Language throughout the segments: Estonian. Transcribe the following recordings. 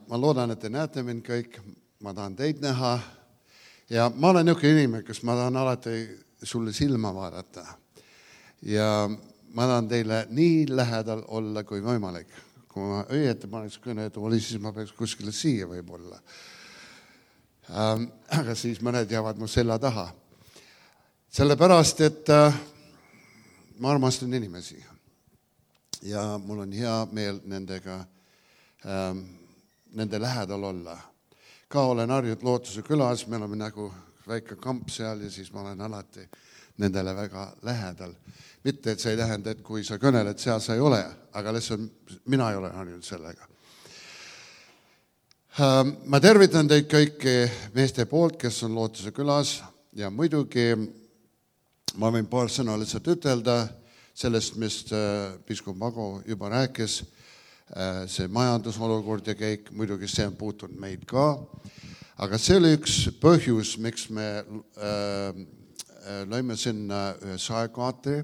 ma loodan, et te näete mind kõik, ma tahan teid näha ja ma olen niisugune inimene, kes ma tahan alati sulle silma vaadata ja ma tahan teile nii lähedal olla kui võimalik. Kui ma õieti paneks kõnetooli, siis ma peaks kuskile siia võib-olla. Aga siis mõned jäävad mu selja taha. Sellepärast, et ma armastan inimesi ja mul on hea meel nendega nende lähedal olla. Ka olen harjunud Lootuse külas, me oleme nagu väike kamp seal ja siis ma olen alati nendele väga lähedal. Mitte, et see ei tähenda, et kui sa kõneled, seal sa ei ole, aga lihtsalt mina ei ole harjunud sellega. Ma tervitan teid kõiki meeste poolt, kes on Lootuse külas ja muidugi ma võin paar sõna lihtsalt ütelda sellest, mis piiskop Mago juba rääkis, see majandusolukord ja kõik, muidugi see on puutunud meid ka, aga see oli üks põhjus, miks me lõime sinna ühe saekaatri,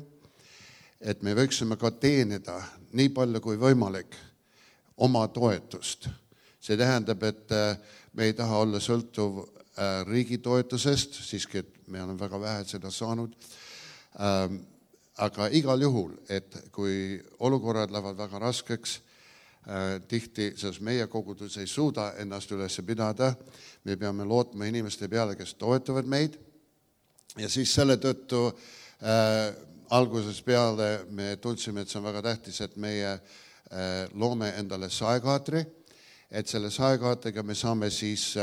et me võiksime ka teenida nii palju kui võimalik oma toetust. See tähendab, et me ei taha olla sõltuv riigi toetusest, siiski et me oleme väga vähe seda saanud, aga igal juhul, et kui olukorrad lähevad väga raskeks, tihti, sest meie kogudus ei suuda ennast üles pidada, me peame lootma inimeste peale, kes toetavad meid ja siis selle tõttu alguses peale me tundsime, et see on väga tähtis, et meie loome endale saekaatri, et selle saekaatriga me saame siis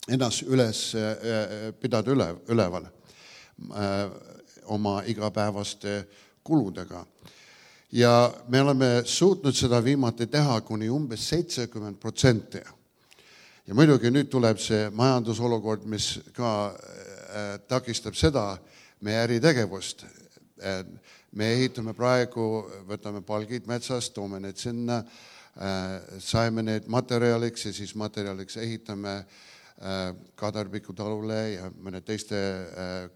ennast üles pidada üleval oma igapäevaste kuludega. Ja me oleme suutnud seda viimati teha kuni umbes 70%. Ja muidugi nüüd tuleb see majandusolukord, mis ka takistab seda meie äritegevust. Me ehitame praegu, võtame palgid metsast, toome need sinna, saime need materjaliks ja siis materjaliks ehitame Kadarpiku talule ja mõne teiste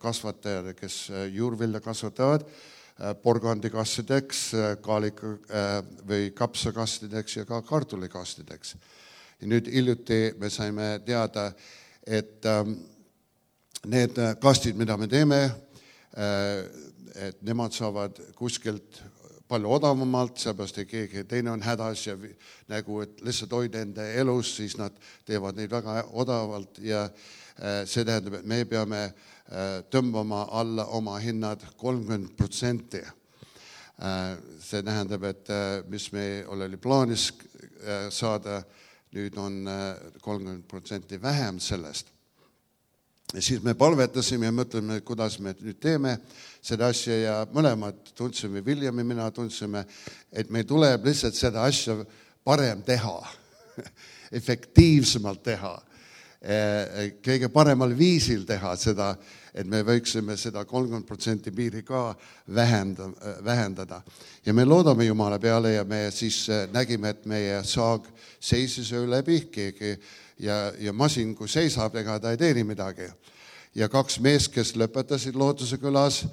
kasvatajad, kes juurvilja kasvatavad, porgandikastideks, või kapsakastideks ja ka kartulikastideks. Ja nüüd hiljuti me saime teada, et need kastid, mida me teeme, et nemad saavad kuskilt palju odavamalt, seepärast et keegi teine on hädas ja nagu, et lihtsalt hoida enda elus, siis nad teevad neid väga odavalt ja see tähendab, et me peame tõmbama alla oma hinnad 30%. See tähendab, et mis me oli plaanis saada, nüüd on 30% vähem sellest. Ja siis me palvetasime ja mõtleme, kuidas me nüüd teeme seda asja ja mõlemad tundsime, William ja mina tundsime, et meil tuleb lihtsalt seda asja parem teha, efektiivsemalt teha, kõige paremal viisil teha seda, et me võiksime seda 30% piiri ka vähendada. Ja me loodame Jumala peale ja me siis nägime, et meie saag seisis öö läbi keegi ja masin, kui seisab, ega ta ei teeni midagi. Ja 2 meest, kes lõpetasid Lootuse külas,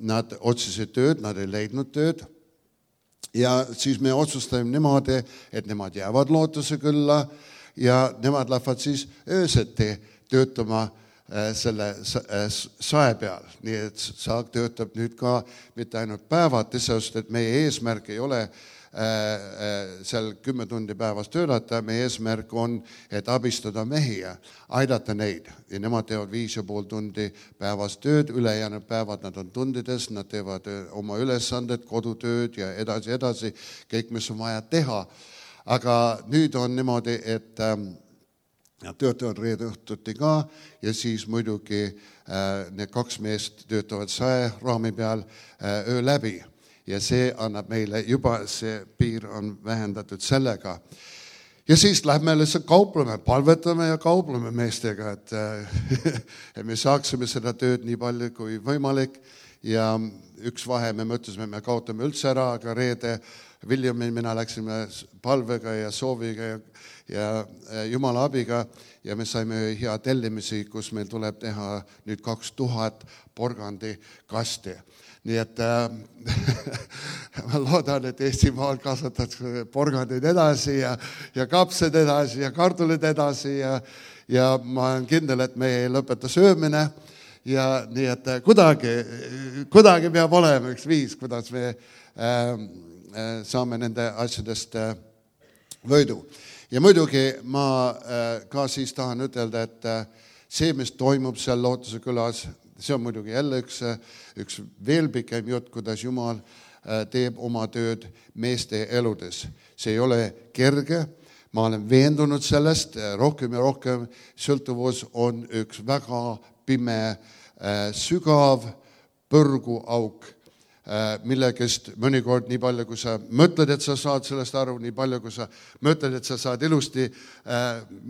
nad otsisid tööd, nad ei leidnud tööd. Ja siis me otsustame niimoodi, et nemad jäävad Lootuse külla ja nemad lähevad siis ööseti töötama selle sae peal. Nii et saag töötab nüüd ka mitte ainult päevad, sest et meie eesmärk ei ole seal 10 tundi päevas töötada, meie eesmärk on, et abistada mehi ja aidata neid. Ja nemad teevad 5,5 tundi päevas tööd, ülejäänud päevad nad on tundides, nad teevad oma ülesanded, kodutööd ja edasi, kõik, mis on vaja teha. Aga nüüd on niimoodi, et nad töötavad reede õhtuti ka ja siis muidugi need 2 meest töötavad saeraami peal öö läbi. Ja see annab meile juba, see piir on vähendatud sellega. Ja siis lähme lihtsalt kaupleme, palvetame ja kaupleme meestega, et me saaksime seda tööd nii palju kui võimalik. Ja üks vahe me mõtlesime, me kaotame üldse ära, aga reede William ja mina läksime palvega ja sooviga ja Jumala abiga ja me saime hea tellimisi, kus meil tuleb teha nüüd 2000 porgandikasti. Nii et ma loodan, et Eestimaal kasvatatakse porgandeid edasi ja kapsed edasi ja kartulid edasi ja ma olen kindel, et me ei lõpeta söömine ja nii, et kuidagi peab olema üks viis, kuidas me saame nende asjadest võidu. Ja muidugi ma ka siis tahan ütelda, et see, mis toimub seal Lootuse külas, see on muidugi jälle üks veel pikem jutt, kuidas Jumal teeb oma tööd meeste eludes. See ei ole kerge, ma olen veendunud sellest, rohkem ja rohkem sõltuvus on üks väga pime, sügav põrguauk, millegest mõnikord nii palju, kui sa mõtled, et sa saad sellest aru, nii palju, kui sa mõtled, et sa saad ilusti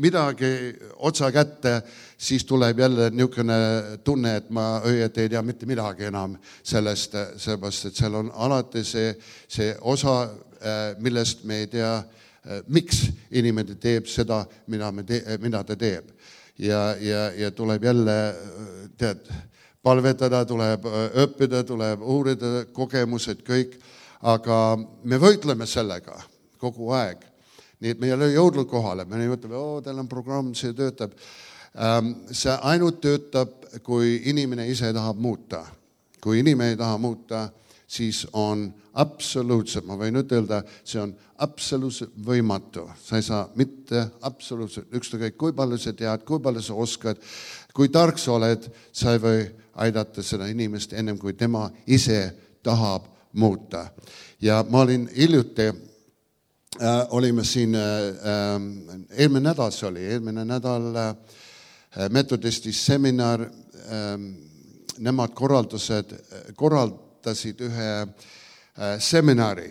midagi otsa kätte, siis tuleb jälle niisugune tunne, et ma õieti ei tea mitte midagi enam sellest, sellepärast, et seal on alati see osa, millest me ei tea, miks inimene teeb seda, mida ta teeb. Ja tuleb jälle, palvetada, tuleb õppida, tuleb uurida kogemused kõik, aga me võitleme sellega kogu aeg. Nii et me ei ole jõudnud kohale, me ütleme, teil on programm, see töötab. See ainult töötab, kui inimene ise tahab muuta. Kui inimene ei taha muuta, siis on absoluutselt, ma võin ütelda, see on absoluutselt võimatu. Sa ei saa mitte absoluutselt, ükskõik kui palju sa tead, kui palju sa oskad, kui tark sa oled, sa ei või aidata seda inimest ennem, kui tema ise tahab muuta. Ja ma olin hiljuti, olime siin, eelmine nädal metodistis seminar, nemad korraldasid ühe seminari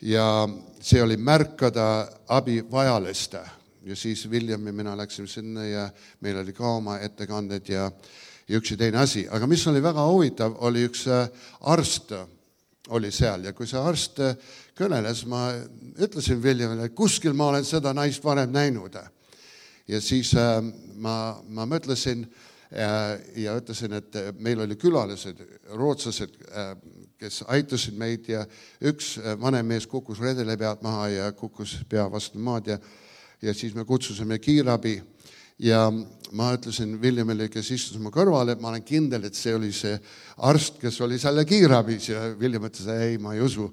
ja see oli märkada abivajaliste. Ja siis William ja mina läksime sinna ja meil oli ka oma ettekanded ja üks ja teine asi. Aga mis oli väga huvitav, oli üks arst oli seal ja kui see arst kõneles, ma ütlesin Williamile, et kuskil ma olen seda naist varem näinud. Ja siis ma mõtlesin ja ütlesin, et meil oli külalised, rootslased, kes aitasid meid ja üks vanem mees kukkus redele pealt maha ja kukkus pea vastu maad ja siis me kutsusime kiirabi. Ja ma ütlesin Williamile, kes istus mu kõrval, et ma olen kindel, et see oli see arst, kes oli selle kiirabis ja William ütles, ei, ma ei usu.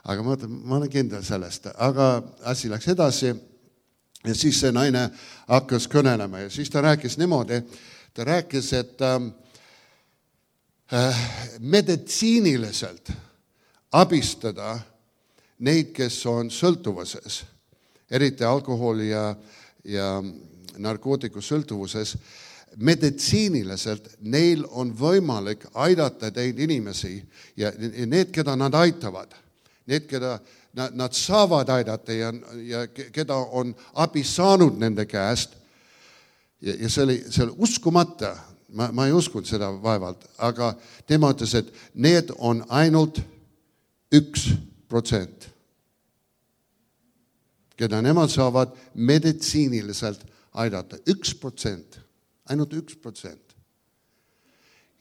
Aga ma olen kindel sellest. Aga asi läks edasi ja siis see naine hakkas kõnelema ja siis ta rääkis niimoodi, ta rääkis, et meditsiiniliselt abistada neid, kes on sõltuvuses, eriti alkoholi ja narkootiku sõltuvuses, meditsiiniliselt neil on võimalik aidata teid inimesi ja need, keda nad aitavad, need, keda nad saavad aidata ja keda on abi saanud nende käest. Ja see oli uskumata, ma ei uskunud seda vaevalt, aga tema ütles, et need on ainult 1%, keda nemad saavad meditsiiniliselt aidata. 1%, ainult 1%.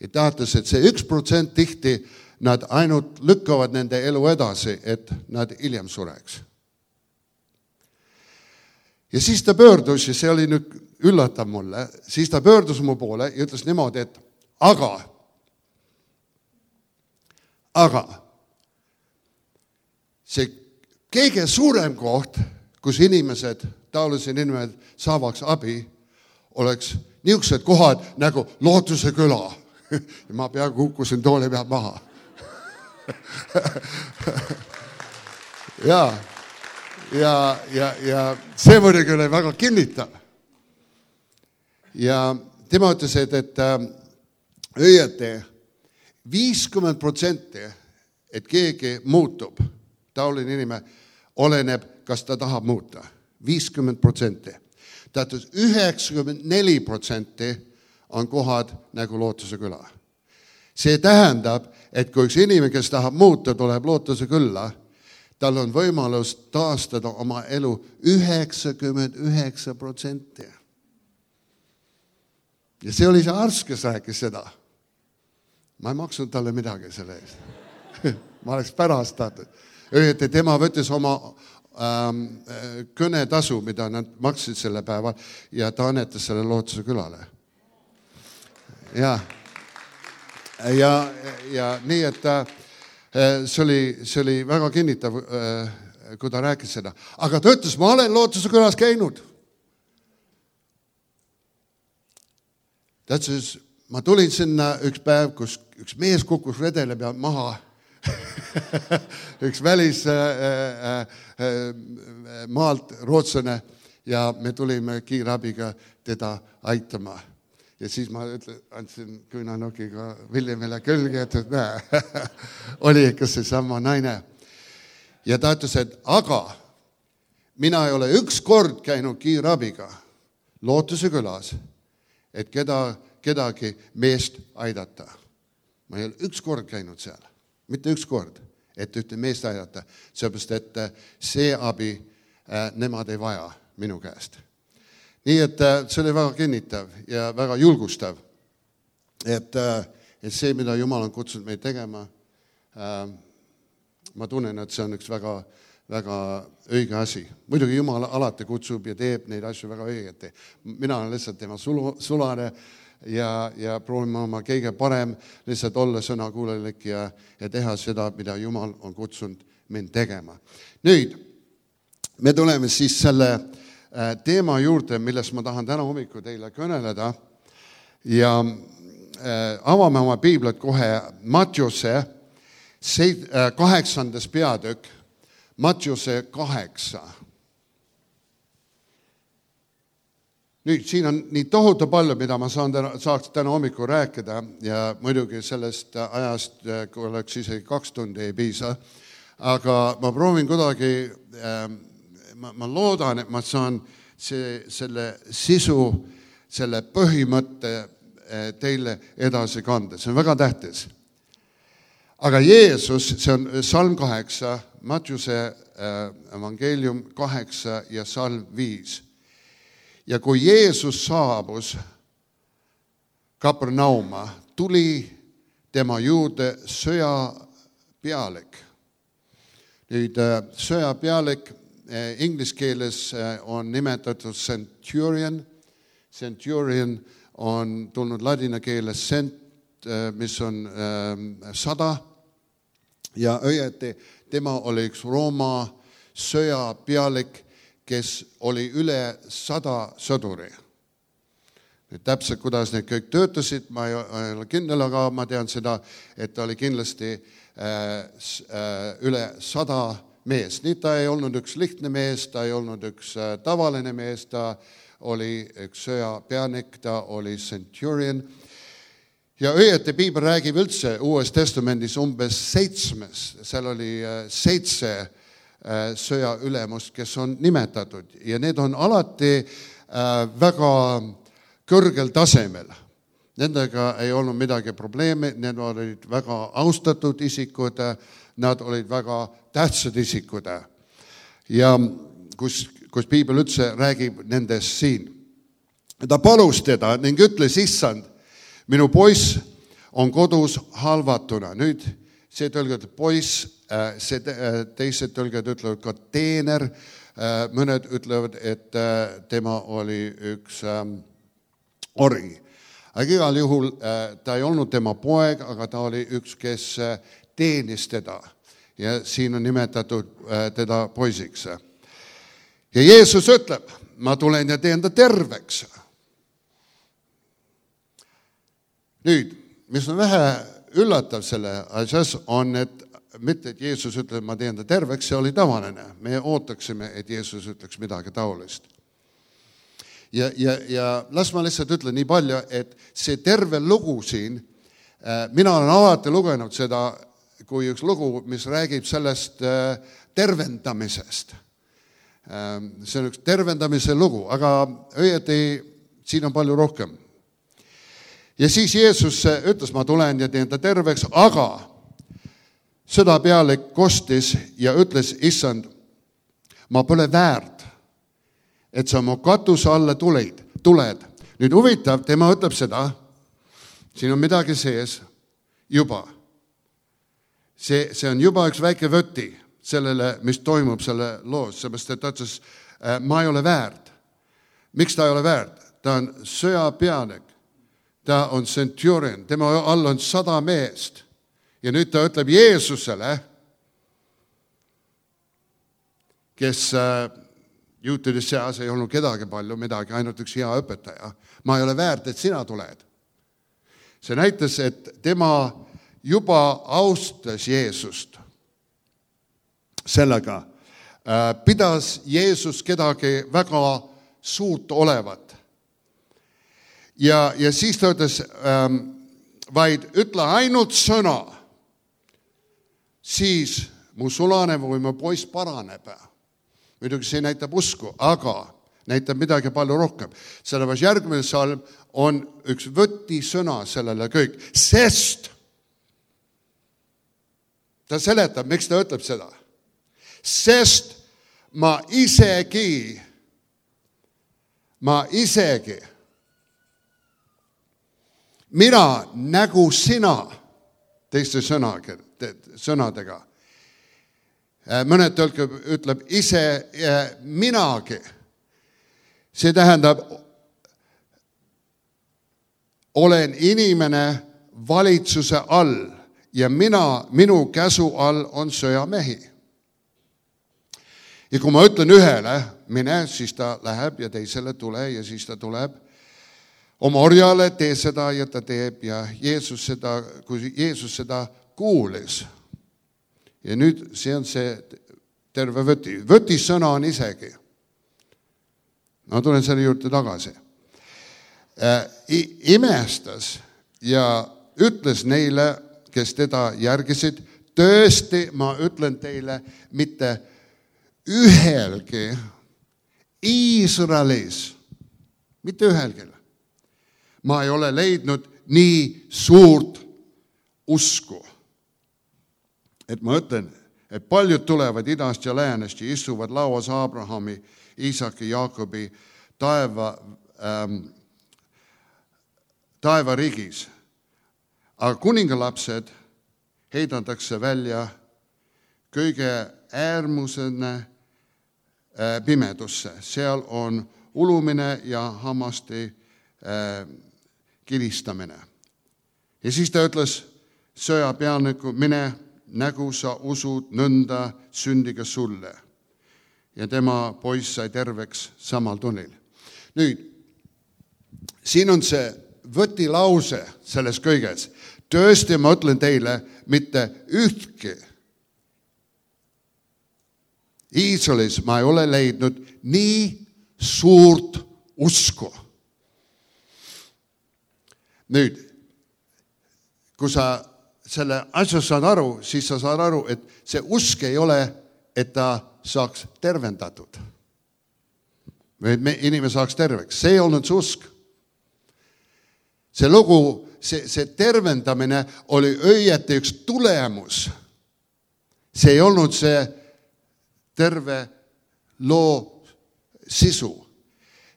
Ja tahtes, et see 1% tihti nad ainult lükkavad nende elu edasi, et nad hiljem sureks. Ja siis ta pöördus, ja see oli nüüd üllatav mulle, siis ta pöördus mu poole ja ütles niimoodi, et aga see kõige suurem koht, kus inimesed, taolised inimesed saavaks abi, oleks niisugused kohad nagu Lootuse küla. Ja ma peaaegu kukkusin tooli pealt maha. ja see muidugi oli väga kinnitav. Ja tema ütles, et õieti 50%, et keegi muutub, taoline inimene, oleneb, kas ta tahab muuta. 50%. Tähendab, 94% on kohad nagu Lootuse küla. See tähendab, et kui üks inimene, kes tahab muuta, tuleb Lootuse külla, tal on võimalus taastada oma elu 99%. Ja see oli see arst, kes rääkis seda. ma ei maksnud talle midagi selle eest. Ma oleks pärast tahtnud. Õieti tema võttis oma kõnetasu, mida nad maksid selle päeval ja ta annetas selle Lootuse külale. Ja nii, et see oli väga kinnitav, kui ta rääkis seda. Aga ta ütles, ma olen Lootuse külas käinud. Ta ütles, ma tulin sinna üks päev, kus üks mees kukkus redele peal maha. Üks välis maalt rootslane ja me tulime kiirabiga teda aitama. Ja siis ma andsin küünanokiga Williamile külge, et näe, oli ikka see sama naine. Ja ta ütles, et aga mina ei ole üks kord käinud kiirabiga Lootuse külas, et kedagi meest aidata. Ma ei ole üks kord käinud seal, mitte üks kord, et ühte meest aidata, sellepärast, et see abi nemad ei vaja minu käest. Nii, et see oli väga kinnitav ja väga julgustav, et see, mida Jumal on kutsunud meid tegema, ma tunnen, et see on üks väga, väga õige asi. Muidugi Jumal alati kutsub ja teeb neid asju väga õigeti. Mina olen lihtsalt tema sulane ja proovime oma kõige parem lihtsalt olla sõnakuulelik ja teha seda, mida Jumal on kutsunud mind tegema. Nüüd, me tuleme siis selle teema juurde, millest ma tahan täna hommiku teile kõneleda ja avame oma piiblit kohe Mattiuse 8. peatükk, Mattiuse 8. Nüüd, siin on nii tohutu palju, mida ma saaks täna hommikul rääkida ja muidugi sellest ajast, kui oleks isegi 2 tundi ei piisa, aga ma proovin kuidagi, ma loodan, et ma saan selle sisu, selle põhimõtte teile edasi kanda. See on väga tähtis. Aga Jeesus, see on salm 8, Mattiuse evangeelium 8 ja salm 5. Ja kui Jeesus saabus Kapernauma, tuli tema juurde sõjapealik. Nüüd sõjapealik inglise keeles on nimetatud centurion. Centurion on tulnud ladina keeles cent, mis on 100. Ja õieti tema oli üks Rooma sõjapealik, kes oli üle 100 sõduri. Nüüd täpselt, kuidas need kõik töötasid, ma ei ole kindel, aga ma tean seda, et ta oli kindlasti üle 100 mees. Nii ta ei olnud üks lihtne mees, ta ei olnud üks tavaline mees, ta oli üks sõjapeanik, ta oli centurion. Ja õieti piibel räägib üldse Uues Testamendis umbes 7, seal oli 7 sõjaülemust, kes on nimetatud ja need on alati väga kõrgel tasemel. Nendega ei olnud midagi probleemi, need olid väga austatud isikud, nad olid väga tähtsad isikud. Ja kus piibel üldse räägib nendest siin. Ta palus teda ning ütles, issand, minu poiss on kodus halvatuna. Nüüd see tõlged poiss, teised tõlged ütlevad ka teener, mõned ütlevad, et tema oli üks ori. Aga igal juhul ta ei olnud tema poeg, aga ta oli üks, kes teenis teda ja siin on nimetatud teda poisiks. Ja Jeesus ütleb, ma tulen ja teen ta terveks. Nüüd, mis on vähe üllatav selle asjas on, et mitte, et Jeesus ütleb, ma teen ta terveks, see oli tavaline. Me ootaksime, et Jeesus ütleks midagi taolist. Ja las ma lihtsalt ütlen nii palju, et see terve lugu siin, mina olen alati lugenud seda kui üks lugu, mis räägib sellest tervendamisest. See on üks tervendamise lugu, aga õieti siin on palju rohkem. Ja siis Jeesus ütles, ma tulen ja teen ta terveks, aga sõdapealik kostis ja ütles, issand, ma pole väärt, et sa mu katuse alla tuled. Nüüd huvitav, tema ütleb seda, siin on midagi sees juba. See on juba üks väike võti sellele, mis toimub selle loos, seepärast et ta ütles, ma ei ole väärt. Miks ta ei ole väärt? Ta on sõjapeanik, ta on centurion, tema all on 100 meest. Ja nüüd ta ütleb Jeesusele, kes juutide seas ei olnud kedagi palju midagi, ainult üks hea õpetaja. Ma ei ole väärt, et sina tuled. See näitas, et tema juba austas Jeesust sellega. Pidas Jeesus kedagi väga suurt olevat. Ja siis ta ütles, vaid ütle ainult sõna, siis mu sulane või mu poiss paraneb. Muidugi see näitab usku, aga näitab midagi palju rohkem. Sellepärast järgmine salm on üks võtisõna sellele kõik. Sest ta seletab, miks ta ütleb seda. Sest ma isegi mina nagu sina teiste sõnadega. Mõned ütleb ise minagi. See tähendab, olen inimene valitsuse all ja minu käsu all on sõjamehi. Ja kui ma ütlen ühele, mine, siis ta läheb ja teisele tule ja siis ta tuleb oma orjale, tee seda ja ta teeb ja kui Jeesus seda kuulis. Ja nüüd see on see terve võti. Võtisõna on isegi. Ma tulen selle juurde tagasi. Imestas ja ütles neile, kes teda järgisid, tõesti, ma ütlen teile, mitte ühelgi Iisraelis, mitte ühelgi. Ma ei ole leidnud nii suurt usku. Et ma ütlen, et paljud tulevad idast ja läänest ja istuvad lauas Abrahami, Iisaki, Jaakobi taevariigis. Aga kuningalapsed heidantakse välja kõige äärmusene pimedusse. Seal on ulumine ja hammaste kilistamine. Ja siis ta ütles sõjapealniku, mine nägu sa usud nõnda sündiga sulle. Ja tema poiss sai terveks samal tunnil. Nüüd, siin on see võtilause selles kõiges. Tõesti, ma ütlen teile, mitte ühtki Iisraelis ma ei ole leidnud nii suurt usku. Nüüd, kui sa selle asja saad aru, siis sa saad aru, et see usk ei ole, et ta saaks tervendatud. Või inimene saaks terveks. See ei olnud see usk. See lugu, see tervendamine oli õieti üks tulemus. See ei olnud see terve loo sisu.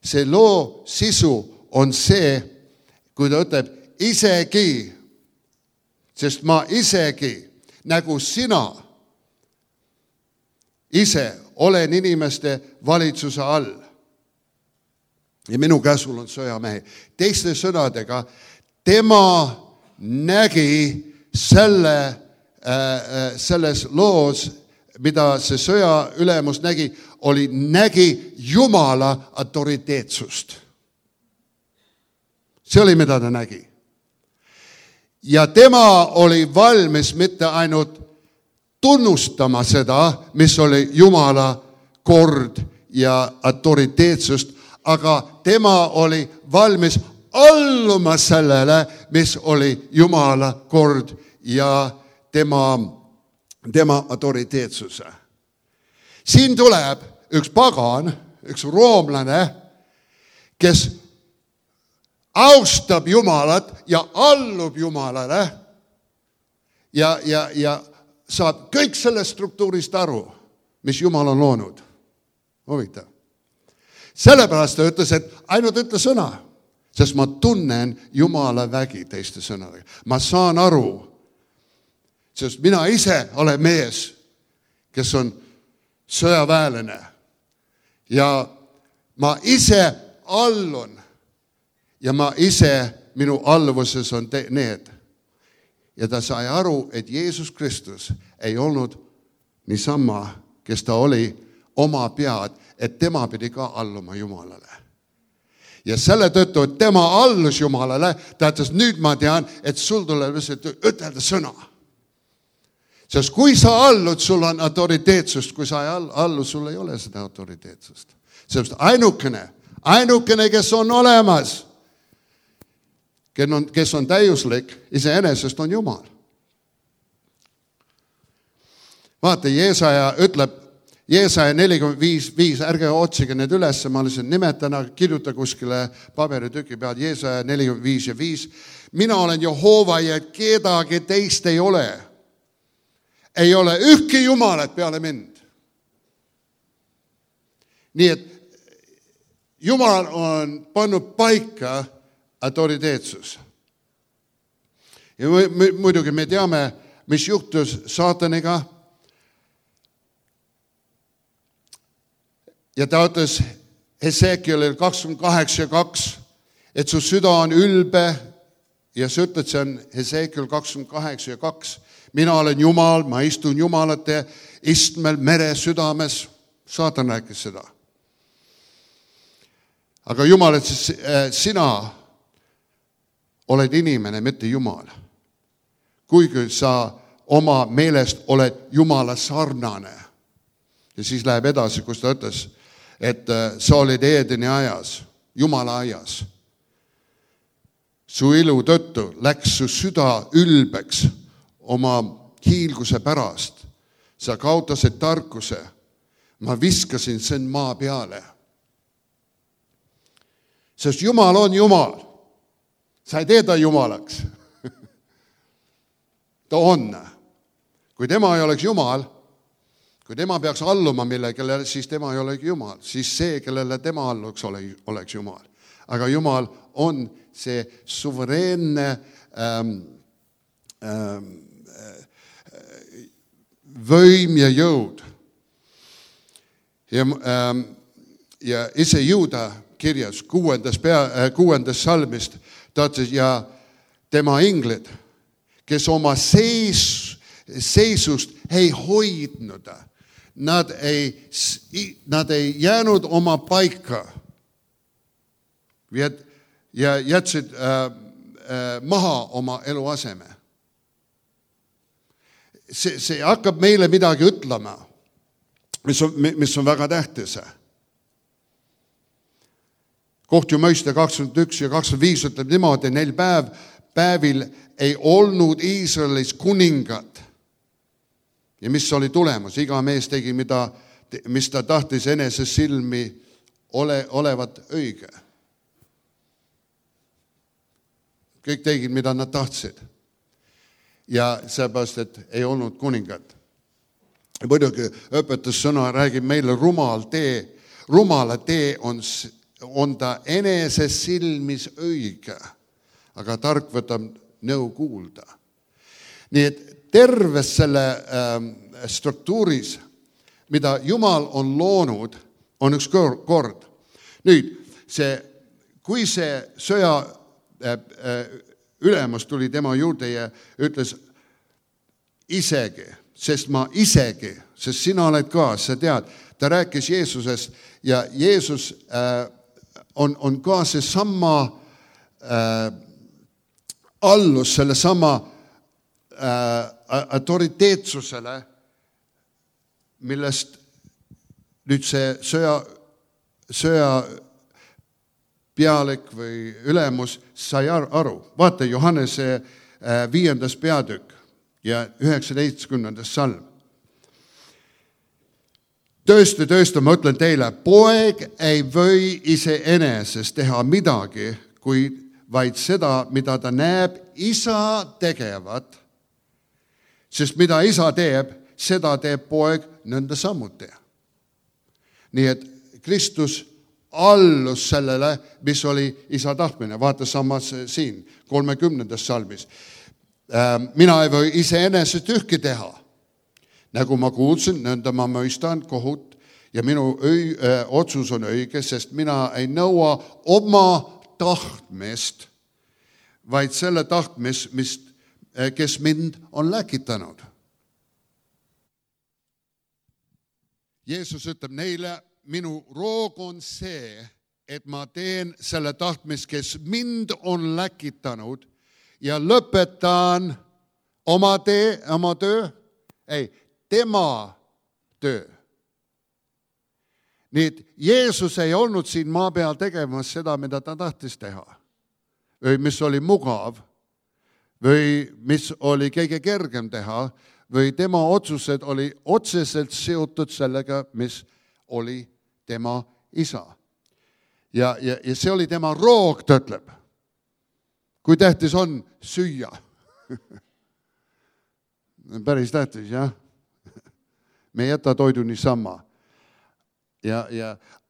See loo sisu on see, kui ta ütleb isegi, sest ma isegi nagu sina ise olen inimeste valitsuse all. Ja minu käsul on sõjamehi. Teiste sõnadega, tema nägi selles loos, mida see sõja ülemus nägi Jumala autoriteetsust. See oli, mida ta nägi. Ja tema oli valmis mitte ainult tunnustama seda, mis oli Jumala kord ja autoriteetsust, aga tema oli valmis alluma sellele, mis oli Jumala kord ja tema autoriteetsuse. Siin tuleb üks pagan, üks roomlane, kes austab Jumalat ja allub Jumalale ja saab kõik sellest struktuurist aru, mis Jumal on loonud. Huvitav. Sellepärast ta ütles, et ainult ütle sõna, sest ma tunnen Jumala vägi teiste sõnadega. Ma saan aru, Sest mina ise olen mees, kes on sõjaväelane. Ja ma ise allun. Ja ma ise, minu alluvuses on need. Ja ta sai aru, et Jeesus Kristus ei olnud niisama, kes ta oli oma pead, et tema pidi ka alluma Jumalale. Ja selle tõttu, et tema allus Jumalale, ta ütles, nüüd ma tean, et sul tuleb ütelda sõna. Sest kui sa allud, sul on autoriteetsust, kui sa ei allu, sul ei ole seda autoriteetsust. Sest ainukene, kes on olemas, kes on täiuslik, iseenesest on Jumal. Vaata, Jeesaja ütleb, Jeesaja 45, ärge otsige need üles, ma lihtsalt nimetan, kirjuta kuskile paberitüki peal, Jeesaja 45 ja 5. Mina olen Jehova ja kedagi teist ei ole. Ei ole ühtki Jumalat peale mind. Nii et Jumal on pannud paika autoriteetsus. Ja muidugi me teame, mis juhtus saataniga. Ja ta ütles Hesekielil 28:2, et su süda on ülbe ja sa ütled, see on Hesekiel 28:2. Mina olen Jumal, ma istun Jumalate istmel mere südames. Saatan rääkis seda. Aga Jumal, et sina oled inimene, mitte Jumal. Kuigi sa oma meelest oled Jumala sarnane. Ja siis läheb edasi, kus ta ütles, et sa olid Eedeni ajas, Jumala ajas. Su ilu tõttu läks su süda ülbeks oma hiilguse pärast. Sa kaotasid tarkuse. Ma viskasin sen maa peale. Sest Jumal on Jumal. Sa ei tee ta Jumalaks. Ta on. Kui tema ei oleks Jumal, kui tema peaks alluma millegile, siis tema ei olegi Jumal. Siis see, kellele tema alluks, oleks Jumal. Aga Jumal on see suvereenne võim ja jõud. Ja ise Juuda kirjas 6. salmist ta ütles, ja tema inglid, kes oma seisust ei hoidnud, nad ei jäänud oma paika ja jätsid maha oma eluaseme. See hakkab meile midagi ütlema, mis on väga tähtis. Kohtjumõiste 21 ja 25 ütleb niimoodi, neil päevil ei olnud Iisraelis kuningat. Ja mis oli tulemus? Iga mees tegi, mis ta tahtis enese silmi olevat õige. Kõik tegid, mida nad tahtsid. Ja seepärast, et ei olnud kuningat. Muidugi õpetussõna räägib meile rumala tee on ta enese silmis õige, aga tark võtab nõu kuulda. Nii et terves selle struktuuris, mida Jumal on loonud, on üks kord. Nüüd, kui see sõja ülemus tuli tema juurde ja ütles isegi, sest sina oled ka, sa tead, ta rääkis Jeesusest ja Jeesus on ka see sama allus, selle sama autoriteetsusele, millest nüüd see sõja pealik või ülemus sai aru. Vaata Johannese 5. peatükk ja 19. salm. Tõesti, ma ütlen teile, poeg ei või iseenesest teha midagi, vaid seda, mida ta näeb isa tegevat, sest mida isa teeb, seda teeb poeg nõnda samuti. Nii et Kristus allus sellele, mis oli isa tahtmine. Vaata samas siin, 30. salmis. Mina ei või iseenesest ühki teha. Nagu ma kuulsin, nõnda ma mõistan kohut ja minu otsus on õige, sest mina ei nõua oma tahtmist, vaid selle tahtmist, kes mind on läkitanud. Jeesus ütleb neile, minu roog on see, et ma teen selle tahtmist, kes mind on läkitanud ja lõpetan oma töö, tema töö. Nii et Jeesus ei olnud siin maa peal tegemas seda, mida ta tahtis teha. Või mis oli mugav, või mis oli kõige kergem teha, või tema otsused oli otseselt seotud sellega, mis oli tema isa. Ja see oli tema roog, ta ütleb. Kui tähtis on süüa? Päris tähtis, jah? Me ei jäta toidu niisama.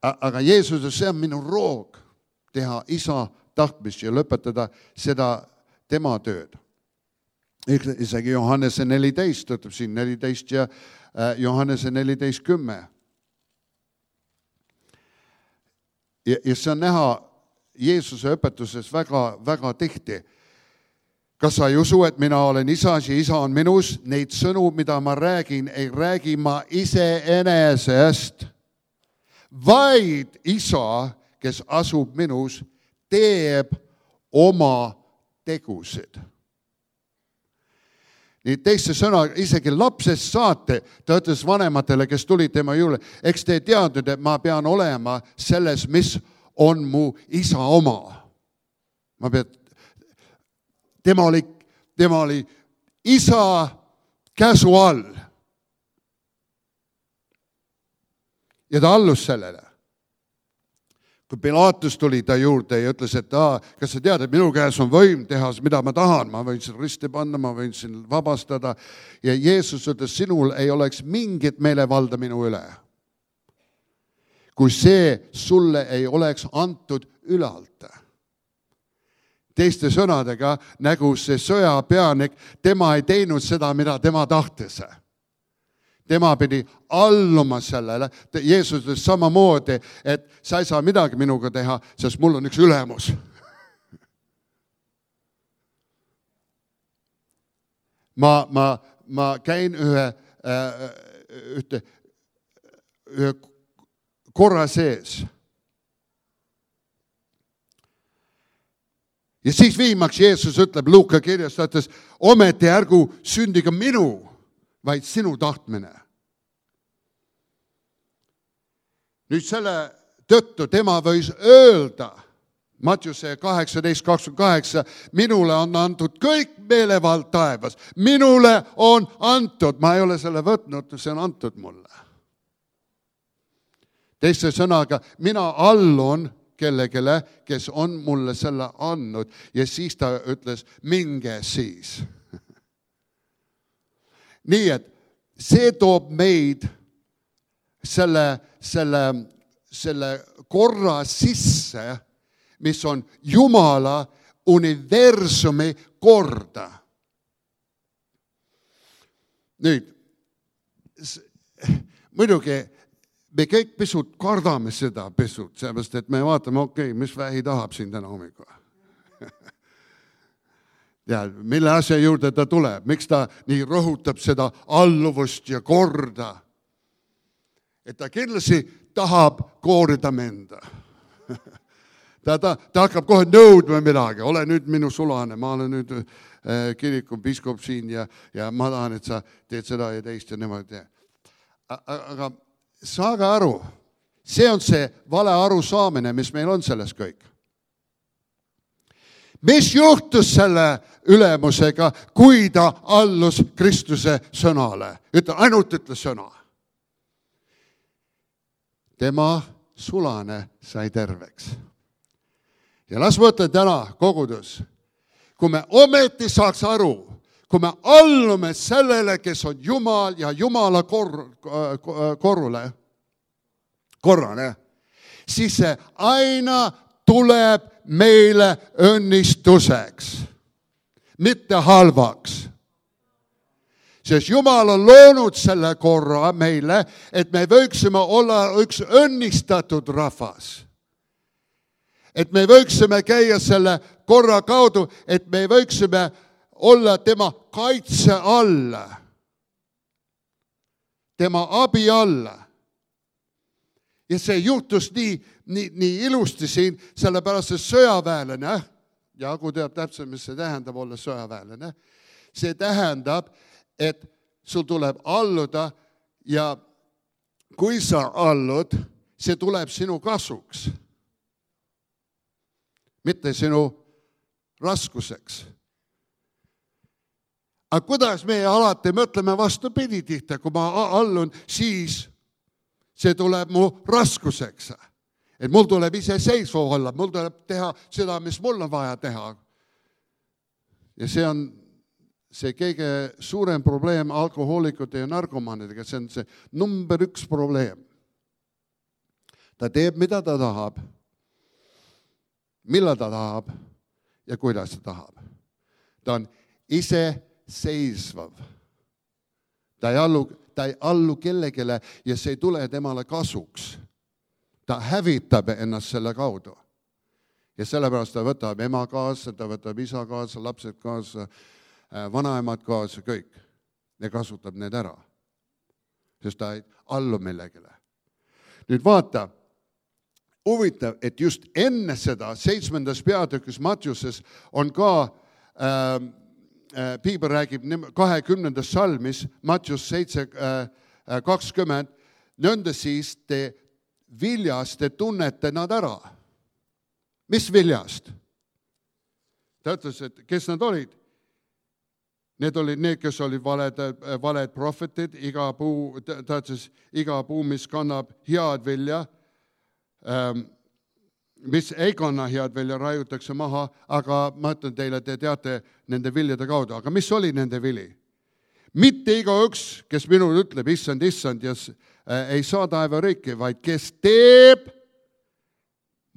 Aga Jeesus, see on minu roog teha isa tahtmist ja lõpetada seda tema tööd. Isegi Johannese 14, ütleb siin 14 ja Johannese 14:10. Ja see on näha Jeesuse õpetuses väga, väga tihti. Kas sa ei usu, et mina olen isas ja isa on minus? Neid sõnu, mida ma räägin, ei räägi ma iseenesest, vaid isa, kes asub minus, teeb oma tegusid. Nii teiste sõna, isegi lapsest saate, ta ütles vanematele, kes tulid tema juurde, eks te teadnud, et ma pean olema selles, mis on mu isa oma. Tema oli isa käsu all. Ja ta allus sellele. Kui Pilatus tuli ta juurde ja ütles, et kas sa tead, et minu käes on võim teha, mida ma tahan, ma võin siin risti panna, ma võin siin vabastada. Ja Jeesus ütles, sinul ei oleks mingit meelevalda minu üle, kui see sulle ei oleks antud ülalt. Teiste sõnadega, nagu see sõjapeanik, tema ei teinud seda, mida tema tahtis. Tema pidi alluma sellele. Jeesus ütles samamoodi, et sa ei saa midagi minuga teha, sest mul on üks ülemus. Ma käin ühe korra sees. Ja siis viimaks Jeesus ütleb Luuka kirjas, ta ütles, ometi ärgu sündiga minu, vaid sinu tahtmine. Nüüd selle tõttu tema võis öelda, Mattiuse 18:28, minule on antud kõik meelevald taevas. Minule on antud, ma ei ole selle võtnud, see on antud mulle. Teiste sõnaga, mina allun kellegele, kes on mulle selle andnud ja siis ta ütles, minge siis. Nii et see toob meid selle korra sisse, mis on Jumala universumi korda. Nüüd, muidugi me kõik pisut kardame seda pisut, sellepärast et me vaatame, mis vähi tahab siin täna hommikul. Ja mille asja juurde ta tuleb, miks ta nii rõhutab seda alluvust ja korda, et ta kindlasti tahab koorida menda. Ta hakkab kohe nõudma midagi, ole nüüd minu sulane, ma olen nüüd kiriku piiskop siin ja ma tahan, et sa teed seda ja teist ja niimoodi. Aga saage aru, see on see vale arusaamine, mis meil on selles kõik. Mis juhtus selle ülemusega, kui ta allus Kristuse sõnale? Ainult ütles sõna. Tema sulane sai terveks. Ja las võtta täna kogudus, kui me ometi saaks aru, kui me allume sellele, kes on Jumal ja Jumala korrale, siis see aina tuleb meile õnnistuseks. mitte halvaks. Sest Jumal on loonud selle korra meile, et me võiksime olla üks õnnistatud rahvas. Et me võiksime käia selle korra kaudu, et me võiksime olla tema kaitse alla, tema abi alla. Ja see juhtus nii ilusti siin, sellepärast see sõjaväelane, ja kui teab täpselt, mis see tähendab olla sõjaväelane, see tähendab, et sul tuleb alluda ja kui sa allud, see tuleb sinu kasuks, mitte sinu raskuseks. Aga kuidas me alati mõtleme vastupidi tihti, kui ma allun, siis see tuleb mu raskuseks. Et mul tuleb ise seisva olla, mul tuleb teha seda, mis mul on vaja teha. Ja see on see kõige suurem probleem alkohoolikute ja narkomaanidega, see on see number 1 probleem. Ta teeb, mida ta tahab, millal ta tahab ja kuidas ta tahab. Ta on ise seisvav. Ta ei allu kellegile ja see ei tule temale kasuks. Ta hävitab ennast selle kaudu. Ja sellepärast ta võtab ema kaasa, ta võtab isa kaasa, lapsed kaasa, vanaemad kaasa, kõik. Ja kasutab need ära. Sest ta ei allu millegile. Nüüd vaata, huvitav, et just enne seda 7. peatükis Mattiuses on ka Piibel räägib 20. salmis, Mattius 7:20, nõnda siis te viljast te tunnete nad ära. Mis viljast? Ta ütles, et kes nad olid? Need olid need, kes olid valed prohvetid, iga puu, mis kannab head vilja, mis ei kanna head vilja, raiutakse maha, aga ma ütlen teile, te teate nende viljade kaudu. Aga mis oli nende vili? Mitte igaüks, kes minul ütleb, issand, ja ei saa taevariiki, vaid kes teeb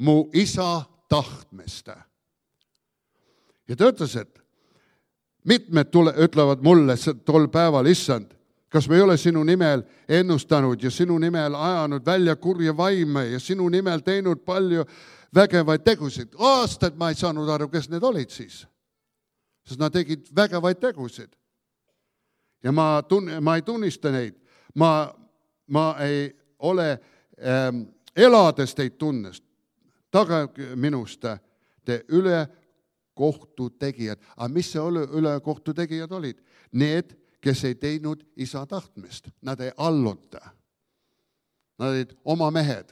mu isa tahtmist. Ja ta ütles, et mitmed ütlevad mulle tol päeval, issand, kas me ei ole sinu nimel ennustanud ja sinu nimel ajanud välja kurja vaime ja sinu nimel teinud palju vägevaid tegusid. Aastaid ma ei saanud aru, kes need olid siis. Sest nad tegid vägevaid tegusid. Ja ma ei tunnista neid. Ma ei ole elades teid tunnest. Taga minust te ülekohtu tegijad. Aga mis see ülekohtu tegijad olid? Need, kes ei teinud isa tahtmist. Nad ei alluta. Nad olid oma mehed.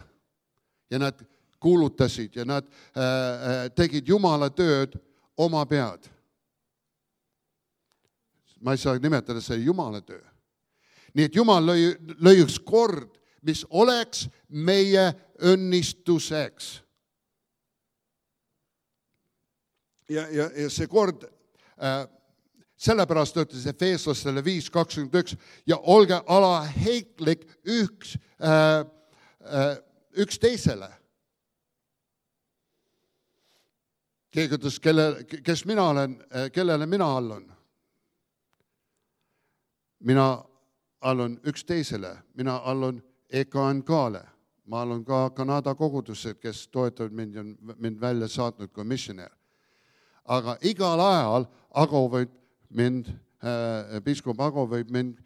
Ja nad kuulutasid ja nad tegid Jumala tööd oma pead. Ma ei saa nimetada see Jumala töö. Nii et Jumal lõi üks kord, mis oleks meie õnnistuseks. Ja see kord, sellepärast ütles Efeeslastele 5:21 ja olge alaheitlik üksteisele. Keegi ütles, kes mina olen, kellele mina allun. Mina allun üksteisele, mina allun EKNK-le. Ma allun ka Kanada kogudused, kes toetavad mind välja saatnud kui missionär. Aga igal ajal piiskop Ago võib mind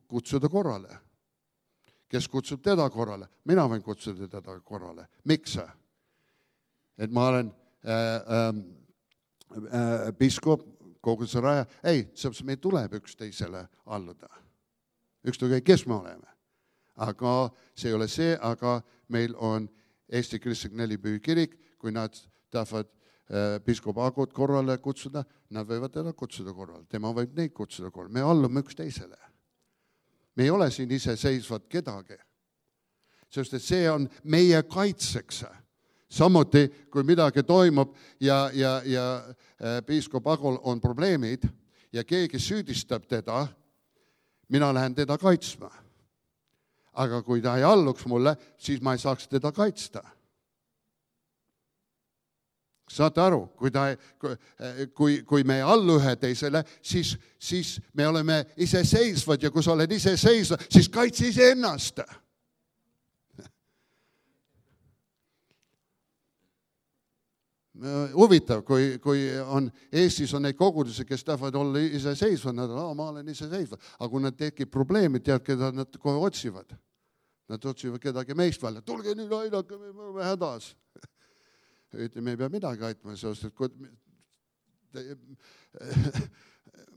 kutsuda korrale. Kes kutsub teda korrale? Mina võin kutsuda teda korrale. Miks? Et ma olen piiskop, kogu see raja. Ei, meil tuleb üksteisele alluda. Ükskõik, kes me oleme. Aga see ei ole see, aga meil on Eesti Kristlik 4 Pühikirik, kui nad tahavad piiskop Agot korrale kutsuda, nad võivad teda kutsuda korrale. Tema võib neid kutsuda korrale. Me allume üksteisele. Me ei ole siin iseseisvad kedagi. Sest et see on meie kaitseks. Samuti, kui midagi toimub ja piiskop Agol on probleemid ja keegi süüdistab teda, mina lähen teda kaitsma. Aga kui ta ei alluks mulle, siis ma ei saaks teda kaitsta. Saate aru, kui me ei allu ühe teisele, siis me oleme iseseisvad ja kui sa oled iseseisvad, siis kaitse iseennast. Huvitav, kui Eestis on neid kogudusi, kes tahavad olla iseseisvad, nad on, ma olen iseseisvad. Aga kui nad tekib probleemid, tead, keda nad kohe otsivad. Nad otsivad kedagi meist välja. Tulge nüüd aidake, me oleme hädas. Me ei pea midagi aitma, sest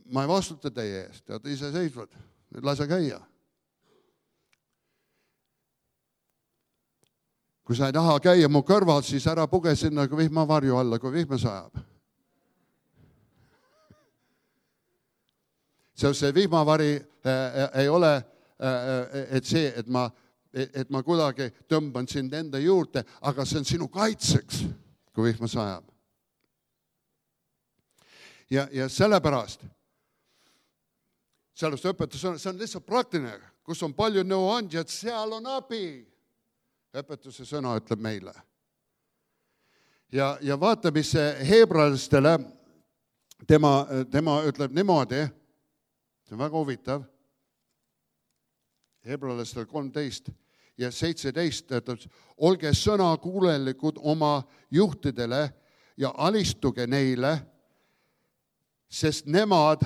ma ei vastuta teie eest, tead iseseisvad. Nüüd lase käia. Kui sa ei taha käia mu kõrval, siis ära puge sinna vihmavarju alla, kui vihma sajab. See vihmavari ei ole, et ma kuidagi tõmban sind enda juurde, aga see on sinu kaitseks, kui vihma sajab. Ja sellepärast, sellest õpetus on, see on lihtsalt praktiline, kus on palju nõuandjad, seal on abi. Õpetuse sõna ütleb meile. Ja vaata, mis heebrealastele, tema ütleb niimoodi, see on väga huvitav, heebrealastele 13 ja 17, ütleb, olge sõnakuulelikud oma juhtidele ja alistuge neile, sest nemad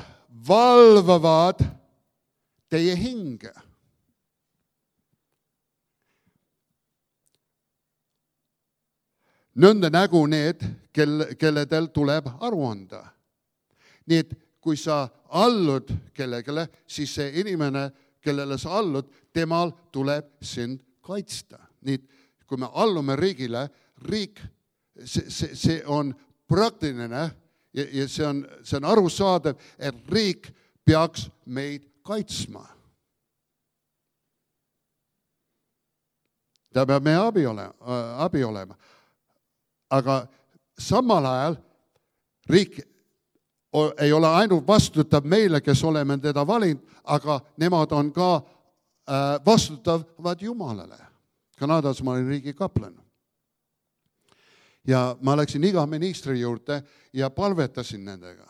valvavad teie hinge. Nõnda nägu need, kelledel tuleb aru anda. Nii et kui sa allud kellegele, siis see inimene, kellele sa allud, temal tuleb sind kaitsta. Nii et kui me allume riigile, riik, see on praktiline ja see on arusaadav, et riik peaks meid kaitsma. Ta peab meie abi olema. Aga samal ajal riik ei ole ainult vastutav meile, kes oleme teda valinud, aga nemad on ka vastutavad Jumalale. Kanadas ma olin riigi kaplan. Ja ma läksin iga ministri juurde ja palvetasin nendega.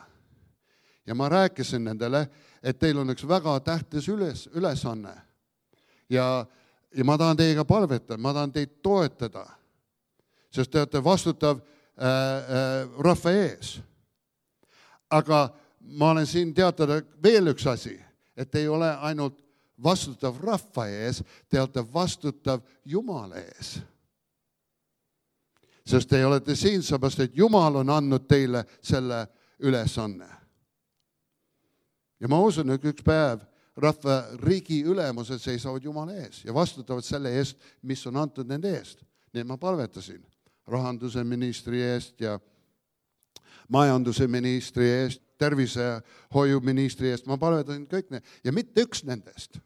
Ja ma rääkisin nendele, et teil on üks väga tähtis ülesanne. Ja ma tahan teiega palvetada, ma tahan teid toetada. Sest te olete vastutav rahva ees. Aga ma olen siin teatada veel üks asi, et ei ole ainult vastutav rahva ees, te olete vastutav Jumala ees. Sest te olete siin seepärast, et Jumal on andnud teile selle ülesanne. Ja ma usun, et üks päev rahva riigi ülemused seisavad Jumala ees ja vastutavad selle eest, mis on antud nende eest. Nii ma palvetasin rahanduse ministri eest ja majanduse ministri eest, tervisehoiu ministri eest, ma palvetasin kõik need ja mitte üks nendest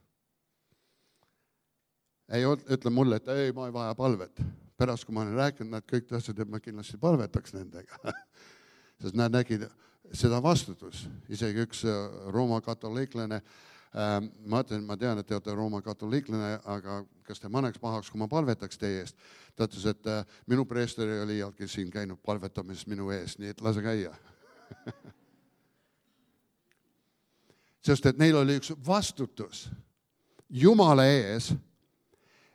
ei ütle mulle, et ei, ma ei vaja palvet. Pärast, kui ma olen rääkinud, nad kõik tahtsid, et ma kindlasti palvetaks nendega. Sest nad nägid seda vastutus. Isegi üks Rooma katoliiklane, ma tean, et te olete Rooma katoliiklane, aga kas te maneks pahaks, kui ma palvetaks teie eest? Ta ütles, et minu preester ei ole iialgi siin käinud palvetamises minu ees, nii et lase käia. Sest et neil oli üks vastutus Jumala ees,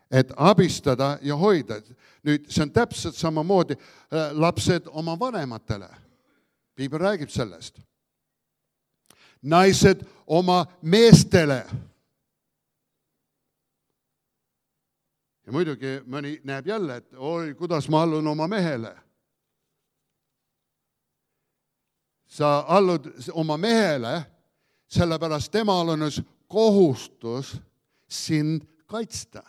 et abistada ja hoida. Nüüd, see on täpselt samamoodi lapsed oma vanematele. Piibel räägib sellest. Naised oma meestele. Ja muidugi mõni näeb jälle, et oi, kuidas ma allun oma mehele. Sa allud oma mehele, sellepärast temal on kohustus sind kaitsta.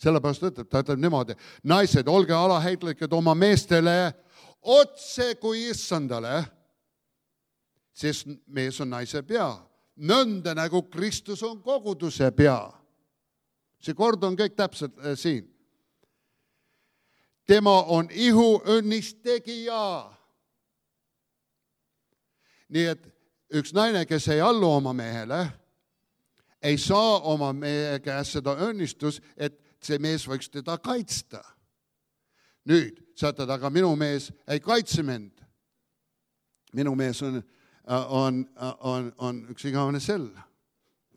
Sellepärast ta ütleb niimoodi, naised, olge alaheitlikud oma meestele otse kui issandale, sest mees on naise pea. Nõnda nagu Kristus on koguduse pea. See kord on kõik täpselt siin. Tema on ihu õnnistegija. Nii et üks naine, kes ei allu oma mehele, ei saa oma mehe käest seda õnnistus, et see mees võiks teda kaitsta. Nüüd, saatad, aga minu mees ei kaitse mind. Minu mees on üks igavene sell.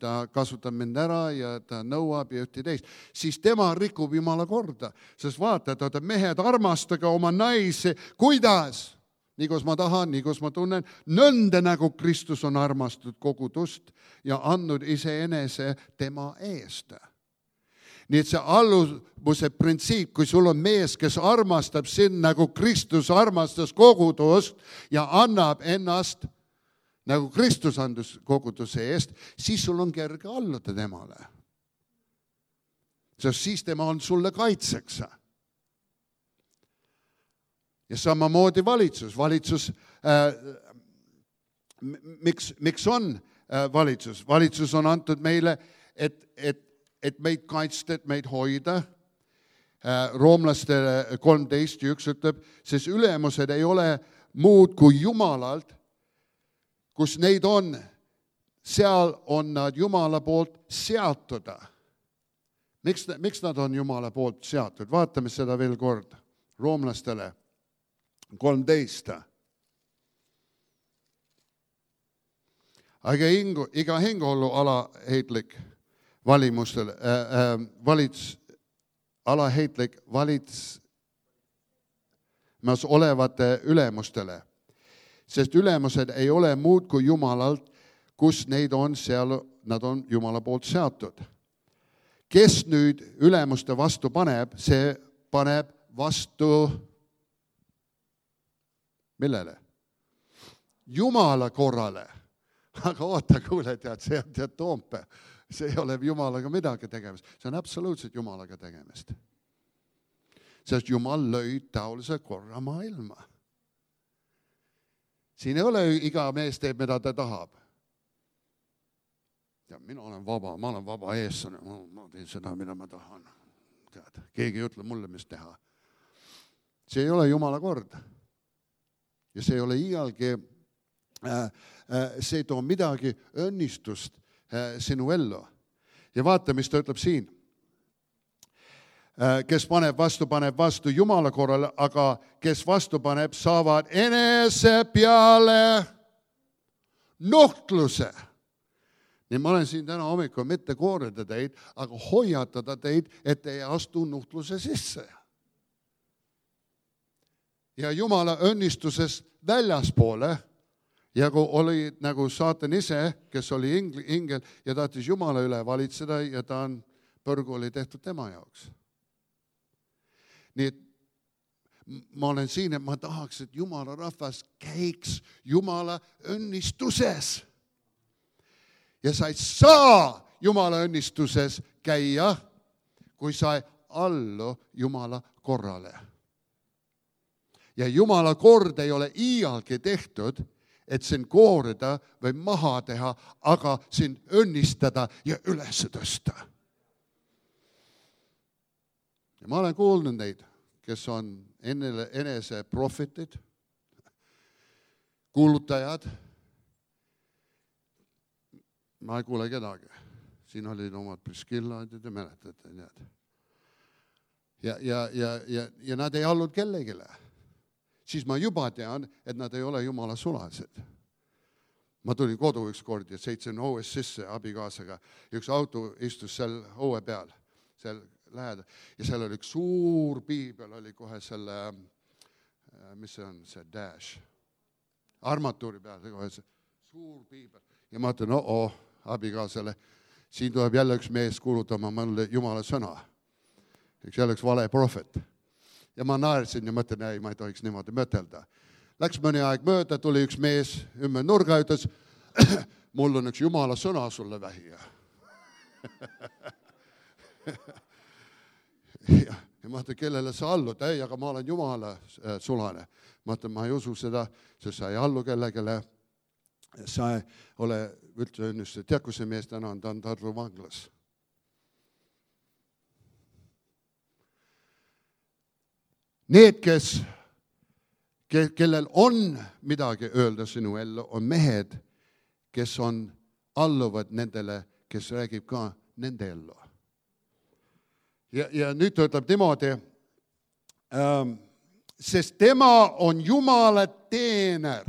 Ta kasutab mind ära ja ta nõuab ja ühte teist. Siis tema rikub Jumala korda. Sest vaata, et mehed, armastage oma naisi. Kuidas? Nii kus ma tahan, nii kus ma tunnen. Nõnda nagu Kristus on armastatud kogudust ja andnud iseenese tema eest. Nii et see alluvuse printsiip, kui sul on mees, kes armastab sind nagu Kristus armastas kogudust ja annab ennast nagu Kristus andus koguduse eest, siis sul on kerge alluda temale. Sest siis tema on sulle kaitseks. Ja samamoodi valitsus. Miks on valitsus? Valitsus on antud meile, et meid kaitsta, et meid hoida. Roomlastele 13:1 ütleb, sest ülemused ei ole muud kui Jumalalt, kus neid on, seal on nad Jumala poolt seatud. Miks nad on Jumala poolt seatud? Vaatame seda veel kord. Roomlastele 13. Aga iga hingehollu alaheitlik valimustel, alaheitlik valitsemas olevate ülemustele. Sest ülemused ei ole muud kui Jumalalt, kus neid on, seal nad on Jumala poolt seatud. Kes nüüd ülemuste vastu paneb, see paneb vastu millele? Jumala korrale. Aga oota, kuule, see on Toompea. See ei ole Jumalaga midagi tegemist. See on absoluutselt Jumalaga tegemist. Sest Jumal lõi taolise korra maailma. Siin ei ole iga mees teeb, mida ta tahab. Ja mina olen vaba, ma olen vaba eestlane, ma teen seda, mida ma tahan. Tead, keegi ei ütle mulle, mis teha. See ei ole Jumala kord. Ja see ei ole iialgi, see ei too midagi õnnistust sinu ellu. Ja vaata, mis ta ütleb siin. Kes paneb vastu Jumala korrale, aga kes vastu paneb, saavad enese peale nuhtluse. Nii ma olen siin täna hommikul mitte koorida teid, aga hoiatada teid, et ei astu nuhtluse sisse. Ja Jumala õnnistusest väljaspoole, ja kui oli nagu saatan ise, kes oli ingel ja tahtis Jumala üle valitseda ja ta on põrgu oli tehtud tema jaoks. Nii et ma olen siin, et ma tahaks, et Jumala rahvas käiks Jumala õnnistuses. Ja sa ei saa Jumala õnnistuses käia, kui sa ei allu Jumala korrale. Ja Jumala kord ei ole iialgi tehtud, et sind koorida või maha teha, aga sind õnnistada ja üles tõsta. Ja ma olen kuulnud neid, kes on enese profetid, kuulutajad. Ma ei kuule kedagi. Siin olid omad Priskillad ja te mäletate. Ja nad ei allunud kellegile. Siis ma juba tean, et nad ei ole Jumala sulased. Ma tulin kodu üks kord ja seitsin õues sisse abikaasaga. Üks auto istus seal õue peal, seal lähedal. Ja seal oli üks suur piibel, oli kohe selle, mis see on, see dash, armatuuri peal, kohe see suur piibel. Ja ma ütlen, abikaasale, siin tuleb jälle üks mees kuulutama mulle Jumala sõna. Jälle üks vale profet. Ja ma naersin ja mõtlen, ei, ma ei tohiks niimoodi mõtelda. Läks mõni aeg mööda, tuli üks mees ümber nurga, ütles, mul on üks Jumala sõna sulle vähija. Ja ma ütlen, kellele sa allud? Ei, aga ma olen Jumala sulane. Ma ütlen, ma ei usu seda, sest sa ei allu kellegele. Sa ei ole üldse õnnist. Tead, kui see mees täna on, ta on Tartu vanglas. Need, kellel on midagi öelda sinu ellu, on mehed, kes on alluvad nendele, kes räägib ka nende ellu. Ja nüüd ta ütleb niimoodi, sest tema on Jumala teener.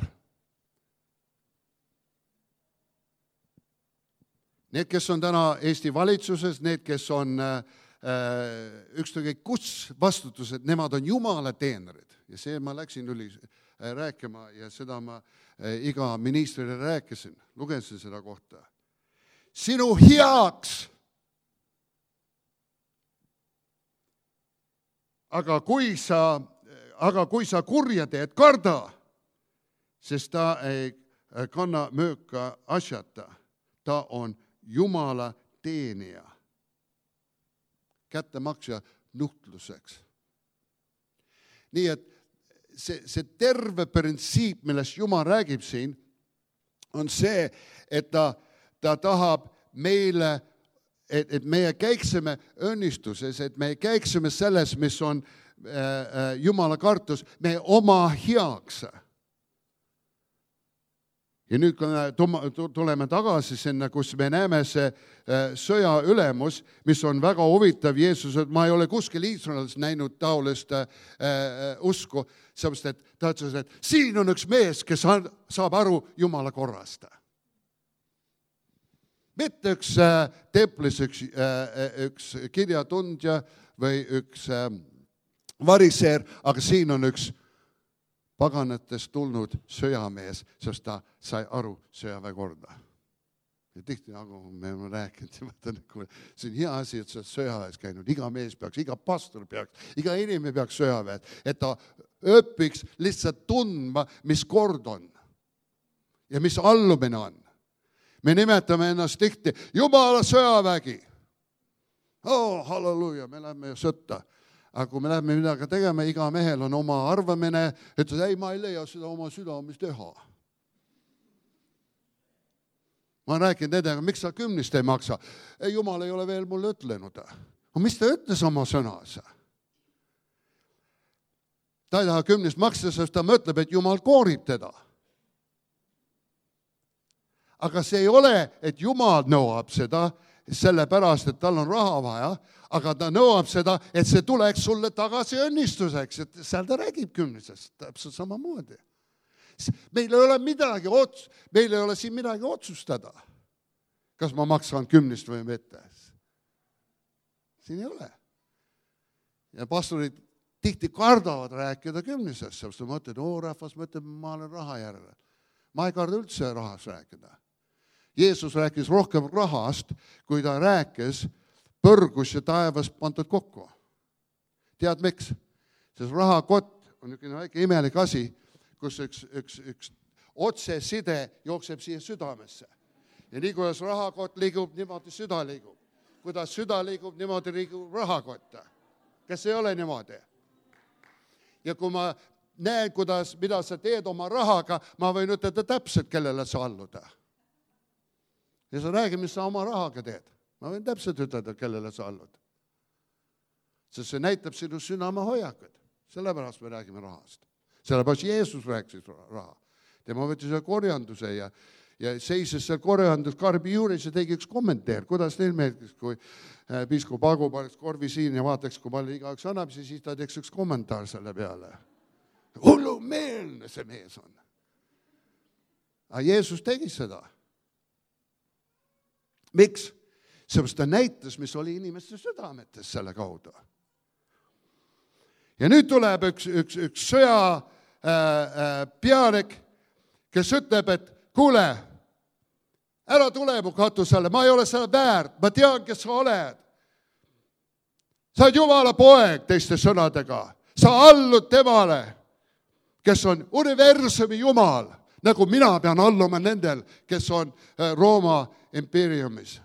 Need, kes on täna Eesti valitsuses, need, kes on ükskõik kus vastutused, nemad on Jumala teenrid. Ja see ma läksin rääkima ja seda ma iga ministrile rääkisin, lugesin seda kohta. Sinu heaks. Aga kui sa kurja teed, karda, sest ta ei kanna mööka asjata. Ta on Jumala teenija. Kättemaksja nuhtluseks. Nii et see terve printsiip, millest Jumal räägib siin, on see, et ta tahab meile, et meie käiksime õnnistuses, et me käiksime selles, mis on Jumala kartus, me oma heaks. Ja nüüd, kui me tuleme tagasi sinna, kus me näeme see sõja ülemus, mis on väga huvitav Jeesus, et ma ei ole kuskil Iisraelis näinud taolist usku, sellepärast, et ta ütles, et siin on üks mees, kes saab aru Jumala korrast. Mitte üks templis, üks kirjatundja või üks variseer, aga siin on üks paganatest tulnud sõjamees, sest ta sai aru sõjaväe korda. Ja tihti, nagu me oleme rääkinud, see on hea asi, et sa sõjaväes käinud. Iga mees peaks, iga pastor peaks, iga inimene peaks sõjaväes, et ta õpiks lihtsalt tundma, mis kord on ja mis allumine on. Me nimetame ennast tihti Jumala sõjavägi. Halleluuja, me läheme sõtta. Aga kui me läheme midagi tegema, iga mehel on oma arvamine, et ei, ma ei leia seda oma südames teha. Ma rääkin nendega, miks sa 10 ei maksa? Jumal ei ole veel mulle ütlenud. Mis ta ütles oma sõnas? Ta ei taha 10 maksa, sest ta mõtleb, et Jumal koorib teda. Aga see ei ole, et Jumal nõuab seda, sellepärast, et tal on raha vaja, aga ta nõuab seda, et see tuleks sulle tagasi õnnistuseks, et seal ta räägib 10, täpselt samamoodi. Meil ei ole meil ei ole siin midagi otsustada, kas ma maksan 10 või mitte. Siin ei ole. Ja pastorid tihti kardavad rääkida 10, sest ma mõtlen, rahvas mõtleb, ma olen raha järele. Ma ei karda üldse rahas rääkida. Jeesus rääkis rohkem rahast, kui ta rääkis põrgus ja taevas pandud kokku. Tead miks? Sest rahakott on niisugune väike imelik asi, kus üks otseside jookseb siia südamesse. Ja nii kuidas rahakott liigub, niimoodi süda liigub. Kuidas süda liigub, niimoodi liigub rahakott. Kas ei ole niimoodi? Ja kui ma näen, mida sa teed oma rahaga, ma võin ütelda täpselt, kellele sa alluda. Ja sa räägi, mis sa oma rahaga teed. Ma võin täpselt ütelda, kellele sa allud. Sest see näitab sinu südame hoiakut. Sellepärast me räägime rahast. Sellepärast Jeesus rääkis raha. Tema võttis korjanduse ja seises seal korjanduskarbi juures ja tegi üks kommentaar. Kuidas neil meeldiks, kui piiskop Agu paneks korvi siin ja vaataks, kui palju igaüks annab, siis ta teeks üks kommentaar selle peale. Hullumeelne see mees on. Aga Jeesus tegi seda. Miks? Seepärast ta näitas, mis oli inimeste südametes selle kaudu. Ja nüüd tuleb üks sõja pealik, kes ütleb, et kuule, ära tule mu katusele, ma ei ole seda väärt, ma tean, kes sa oled. Sa oled Jumala poeg, teiste sõnadega. Sa allud temale, kes on universumi Jumal, nagu mina pean alluma nendel, kes on Rooma impeeriumis.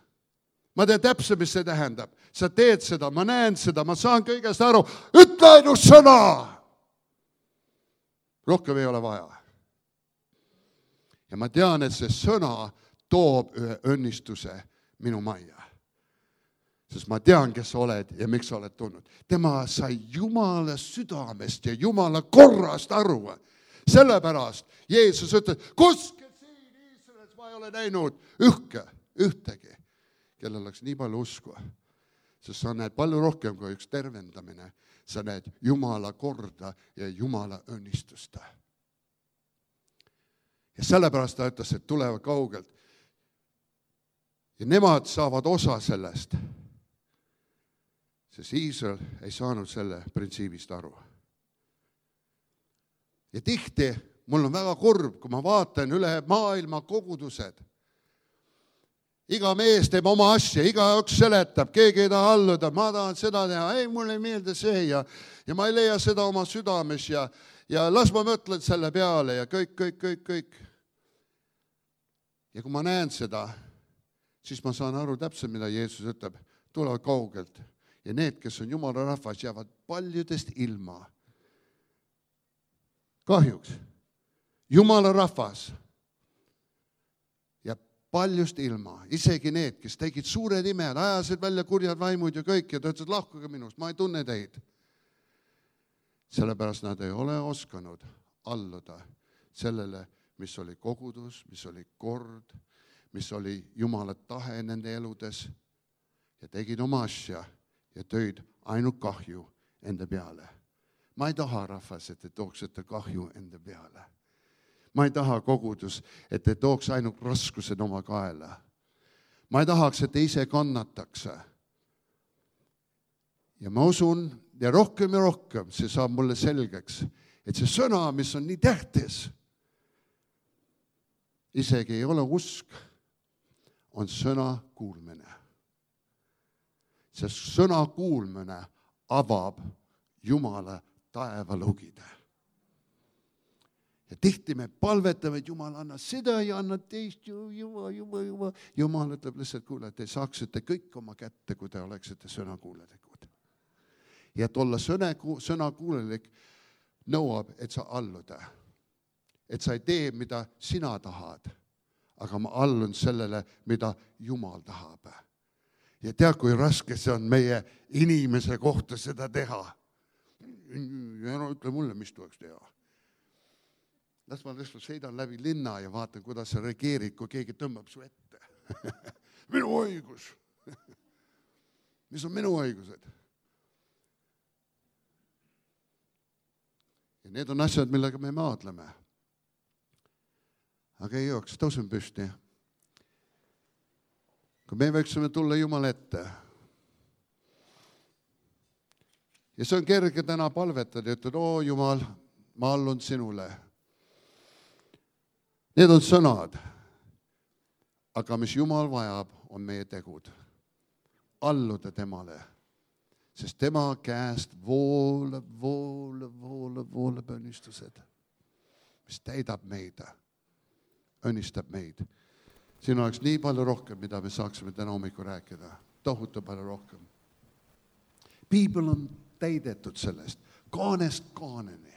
Ma tean täpselt, mis see tähendab. Sa teed seda, ma näen seda, ma saan kõigest aru. Ütle ainult sõna! Rohkem ei ole vaja. Ja ma tean, et see sõna toob ühe õnnistuse minu majja. Sest ma tean, kes sa oled ja miks sa oled tulnud. Tema sai Jumala südamest ja Jumala korrast aru. Sellepärast Jeesus ütles, kuskil siin Iisraelis ma ei ole näinud ühtegi, kellel oleks nii palju usku. sest sa näed palju rohkem kui üks tervendamine. Sa näed Jumala korda ja Jumala õnnistust. Ja sellepärast ta ütles, et tulevad kaugelt. Ja nemad saavad osa sellest, sest Iisrael ei saanud selle printsiibist aru. Ja tihti mul on väga kurb, kui ma vaatan üle maailma kogudused. Iga mees teeb oma asja, igaüks seletab, keegi ei taha alluda, ma tahan seda teha, ei, mulle ei meeldi see ja ma ei leia seda oma südames ja las ma mõtlen selle peale ja kõik. Ja kui ma näen seda, siis ma saan aru täpselt, mida Jeesus ütleb, tulevad kaugelt ja need, kes on Jumala rahvas, jäävad paljudest ilma. Kahjuks, Jumala rahvas ja paljust ilma, isegi need, kes tegid suured imed, ajasid välja kurjad vaimud ja kõik ja ta ütles, lahkuge minust, ma ei tunne teid. Sellepärast nad ei ole oskanud alluda sellele, mis oli kogudus, mis oli kord, mis oli Jumala tahe nende eludes ja tegid oma asja ja tõid ainult kahju enda peale. Ma ei taha, rahvas, et te tooksite kahju enda peale. Ma ei taha kogudus, et te tooks ainult raskused oma kaela. Ma ei tahaks, et te ise kannataks. Ja ma usun, ja rohkem see saab mulle selgeks, et see sõna, mis on nii tähtis, isegi ei ole usk, on sõna kuulmine. Sest sõna kuulmine avab Jumala taevalugide. Ja tihti me palvetame, et Jumal anna seda ja anna teist, Jumal ütleb lihtsalt, kuule, et te saaksite kõik oma kätte, kui te oleksite sõnakuulelikud. Ja et olla sõnakuulelik nõuab, et sa alluda. Et sa ei tee, mida sina tahad, aga ma allun sellele, mida Jumal tahab. Ja tea, kui raske see on meie inimese kohta seda teha. Ja no ütle mulle, mis tuleks teha. Las ma lihtsalt sõidan läbi linna ja vaatan, kuidas sa reageerid, kui keegi tõmbab su ette. Minu õigus. Mis on minu õigused? Ja need on asjad, millega me maadleme. Aga ei jooks, tõusen püsti. Kui me võiksime tulla Jumala ette. Ja see on kerge täna palvetada ja ütled, Jumal, ma allun sinule. Need on sõnad. Aga mis Jumal vajab, on meie tegud. Alluda temale. Sest tema käest voolab õnnistused, mis täidab meid, õnnistab meid. Siin oleks nii palju rohkem, mida me saaksime täna hommikul rääkida. Tohutu palju rohkem. Piibel on täidetud sellest, kaanest kaaneni.